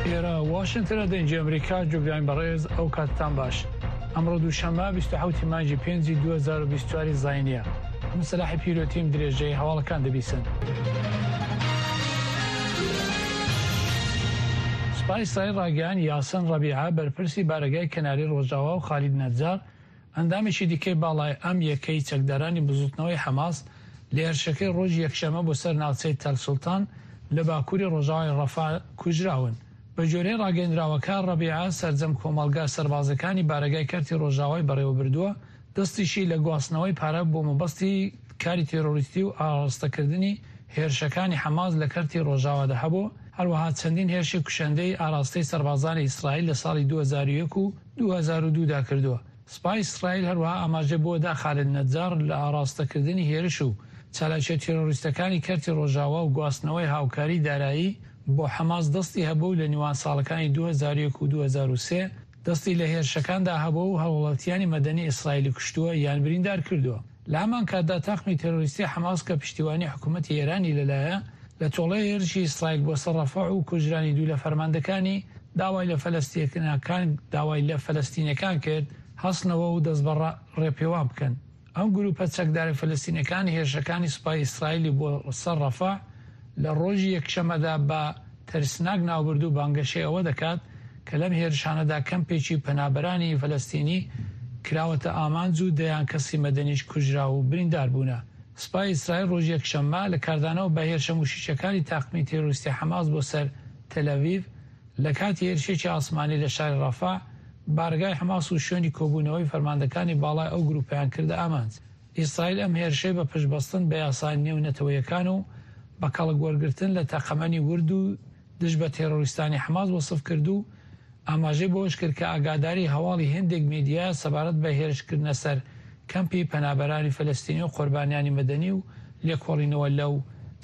ئێرە واشنتنە دەنگی ئەمریکا جوگرانی بەڕێز ئەو کاتتان باش ئەمڕۆ دووشەممە 27 مانگی پێنجی 2024 زاینیە من سەلاحی پیرۆتیم درێژەی هەواڵەکان دەبیسن. سوپای ئیسرائیل ڕاگەیان یاسن ڕەبیعە بەرپرسی بارەگای کەناری ڕۆژاوا و خالید نەجار ئەندامێکی دیکەی باڵای ئەم یەکەی چەکدارانی بزوتنەوەی حەماس لە هێرشەکەی ڕۆژی یەکشەممە بۆ سەر ناوچەی تەل سوڵتان لە باکوری ڕۆژاوای ڕەفا کوژراون. بەگوێرەی ڕاگەیەندراوەکە، ڕەبیعە سەرجەم کۆمەڵگا سەربازیەکانی بارەگای کەرتی ڕۆژاوای بەڕێوەبردووە، دەستیشی لە گواستنەوەی پارە بۆ مەبەستی کاری تێرۆریستی و ئاراستەکردنی هێرشەکانی حەماس لە کەرتی ڕۆژاوادا هەبوو، هەروەها چەندین هێرشی کوشەندەی ئاراستەی سەربازانی ئیسرائیل لە ساڵی 2001 و 2002 دا کردووە. سوپای ئیسرائیل هەروەها ئاماژەی بەوە دا خالد نەجاڕ لە ئاراستەکردنی هێرش و چالاکیە تێرۆریستەکانی کەرتی ڕۆژاوا و گواستنەوەی هاوکاری دارایی بۆ حەماس دەستی هەبووە و لە نێوان ساڵەکانی 2001 و 2003 دەستی لە هێرشەکاندا هەبووە و هاووڵاتیانی مەدەنی ئیسرائیلی کوشتووە یان بریندار کردووە. لە هەمان کاتدا تاقمی تێرۆریستی حەماس کە پشتیوانی حکوومەتی ئێرانی لەلایە، لە تۆڵەی هێرشی ئیسرائیل بۆ سەر ڕەفەح و کوژرانی دوو لە فەرماندەکانی، داوای لە فەلەستیەکان داوای لە فەلەستینیەکان کرد هەستنەوە و دەست بە ڕێپێوان بکەن. ئەم گرووپە چەکدارە فەلەستینەکان هێرشەکانی سوپای ئیسرائیلی بۆ سەر ڕەفەح لە ڕۆژی یەکشەممەدا بە ترسناک ناوبرد و بانگەشەی ئەوە دەکات کە لەم هێرشانەدا کەمپێکی پەنابەرانی فەلەستینی کراوەتە ئامانج و دەیان کەسی مەدەنیش کوژراو و بریندار بوونە. سوپای ئیسرائیل ڕۆژی یەکشەممە لە کاردانەوە بە هێرشە موشەکییەکانی تاقمی تێرۆریستی حەماس بۆ سەر تەلئەڤیڤ لە کاتی هێرشێکی ئاسمانی لە شاری ڕەفەح، بارەگای حەماس و شوێنی کۆبوونەوەی فەرماندەکانی باڵای ئەو گرووپەیان کردە ئامانج. ئیسرائیل ئەم هێرشەی بە پشتبەستن بە یاسا نێونەتەوەیەکان و بە کەڵک وەرگرتن لە تەقەمەنی ورد و دژ بە تێرۆریستانی حەماس وەسف کرد و ئاماژەی بەوەش کرد کە ئاگاداری هەواڵی هێندێک میدیایە سەبارەت بە هێرشکردنە سەر کەمپی پەنابەرانی فەلەستینی و قوربانیانی مەدەنی و لێکۆڵینەوە لەو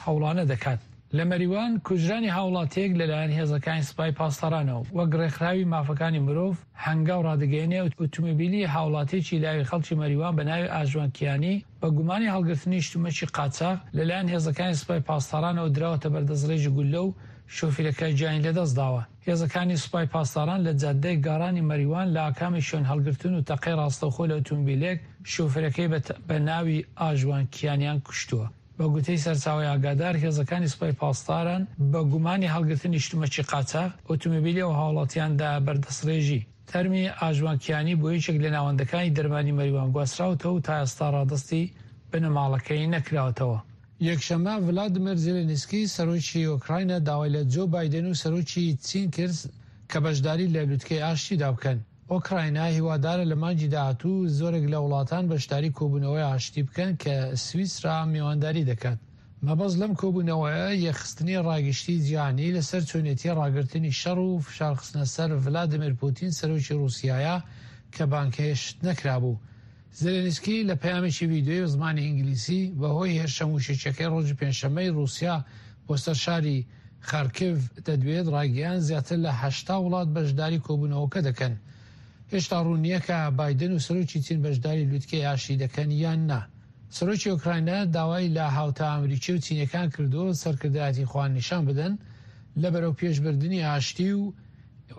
هەوڵانە دەکات. لە مەریوان کوژرانی هاوڵاتییەک لەلایەن هێزەکانی سپای پاسدارانەوە وەک ڕێکخراوی مافەکانی مرۆڤ هەنگاو ڕادەگەیەنێ ئوتومبیلی هاوڵاتییەکی لاوی خەڵکی مەریوان بە ناوی ئاژوان کیانی بە گومانی هەڵگرتنی شتومەکی قاچاغ لەلایەن هێزەکانی سپای پاسدارانەوە دراوەتە بەر دەستڕێژی گوللە و شۆفیرەکە گیانی لەدەست داوە. هێزەکانی سوپای پاسداران لە جاددەی گاڕانی مەریوان لە ئاکامی شوێن هەڵگرتن و تەقەی ڕاستەوخۆ لە ئوتومبیلێک شۆفیرەکەی بە ناوی ئاژوان کیانیان کوشتووە. بە گوتەی سەرچاوەی ئاگادار، هێزەکانی سوپای پاسداران بە گومانی هەڵگرتنی شتومەکی قاچاغ، ئۆتۆمبیلی ئەو هاوڵاتیان دایە بەر دەستڕێژی. تەرمی ئاژوان کیانی بۆ یەکێک لە ناوەندەکانی دەرمانی مەریوان گواستراوەتەوە و تا ئێستا ڕادەستی بنەماڵەکەی نەکراوەتەوە. یەکشەممە، ڤلادیمێر زێلێنسکی، سەرۆکی ئۆکراینا داوای لە جۆ بایدن و سەرۆکی چین کرد کە بەشداری لە لوتکەی ئاشتیدا بکەن. ئۆکراینا هیوادارە لە مانگی داهاتوو زۆرێک لە وڵاتان بەشداری کۆبوونەوەی ئاشتی بکەن کە سویسرا میوانداری دەکات. مەبەست لەم کۆبوونەوەیە یەکخستنی ڕاگشتی جیهانی لەسەر چۆنێتی ڕاگرتنی شەڕ و فشارخستنە سەر ڤلادیمێر پوتین سەرۆکی ڕووسیایە کە بانگهێشت نەکرابوو. زێلێنسکی لە پەیامێکی ڤیدیۆیی بە زمانی ئینگلیزی بەهۆی هێرشە مووشەکییەکەی ڕۆژی پێنجشەممەی ڕووسیا بۆ سەر شاری خارکیڤ دەدوێت، ڕایگەیاند زیاتر لە 80 وڵات بەشداری کۆبوونەوەکە دەکەن. هێشتا ڕوون نییە کە بایدن و سەرۆکی چین بەشداری لوتکەی ئاشتی دەکەن یان نا. سەرۆکی ئۆکراینا داوای لە هاوتا ئەمریکی و چینیەکان کردووە سەرکردایەتی خۆیان نیشان بدەن لە بەرەوپێشبردنی ئاشتی و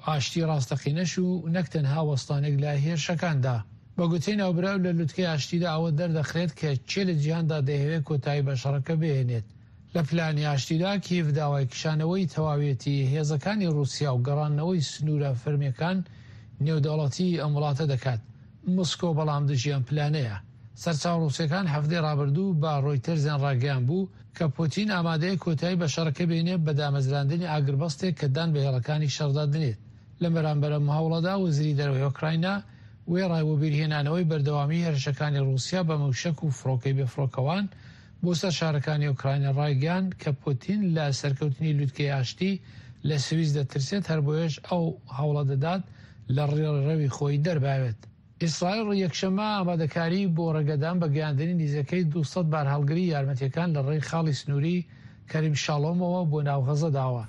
ئاشتی ڕاستەقینەش و نەک تەنها وەستانێک لە هێرشەکاندا. بە گوتەی ناوبراو لە لوتکەی ئاشتیدا ئەوە دەردەخرێت کە کێ لە جیهاندا دەیهەوێت کۆتایی بە شەڕەکە بهێنێت. لە پلانی ئاشتیدا کیێڤ داوای کشانەوەی تەواویەتی هێزەکانی ڕووسیا و گەڕاندنەوەی سنوورە فەرمییەکان نێودەوڵەتیی ئەم وڵاتە دەکات. مسکۆ بەڵام دژی ئەم پلانەیە. سەرچاوە ڕووسییەکان هەفتەی ڕابردوو بە ڕۆیتەرزیان ڕاگەیاندبوو کە پوتین ئامادەیە کۆتایی بە شەڕەکە بێنێت بە دامەزراندنی ئاگربەستێک کە دان بە هێڵەکانی شەڕدا دەنێت. لە بەرامبەر ئەم هەوڵەدا وەزیری دەرەوەی ئۆکراینا وێڕای وەبیرهێنانەوەی بەردەوامیی هێرشەکانی ڕووسیا بە مووشەک و فڕۆکەی بێفڕۆکەوان بۆ سەر شارەکانی ئۆکراینا ڕایگەیاند کە پوتین لە سەرکەوتنی لوتکەی ئاشتی لە سویس دەترسێت هەربۆیەش ئەو هەوڵە دەدات لە ڕێڕەوی خۆی دەرباوێت. ئیسرائیل یەکشەممە ئامادەکاریی بۆ ڕێگەدان بە گەیاندنی نزیکەی 200 بارهەڵگری یارمەتییەکان لە ڕێی خاڵی سنووری کەریم شاڵۆمەوە بۆ ناو غەزە داوە.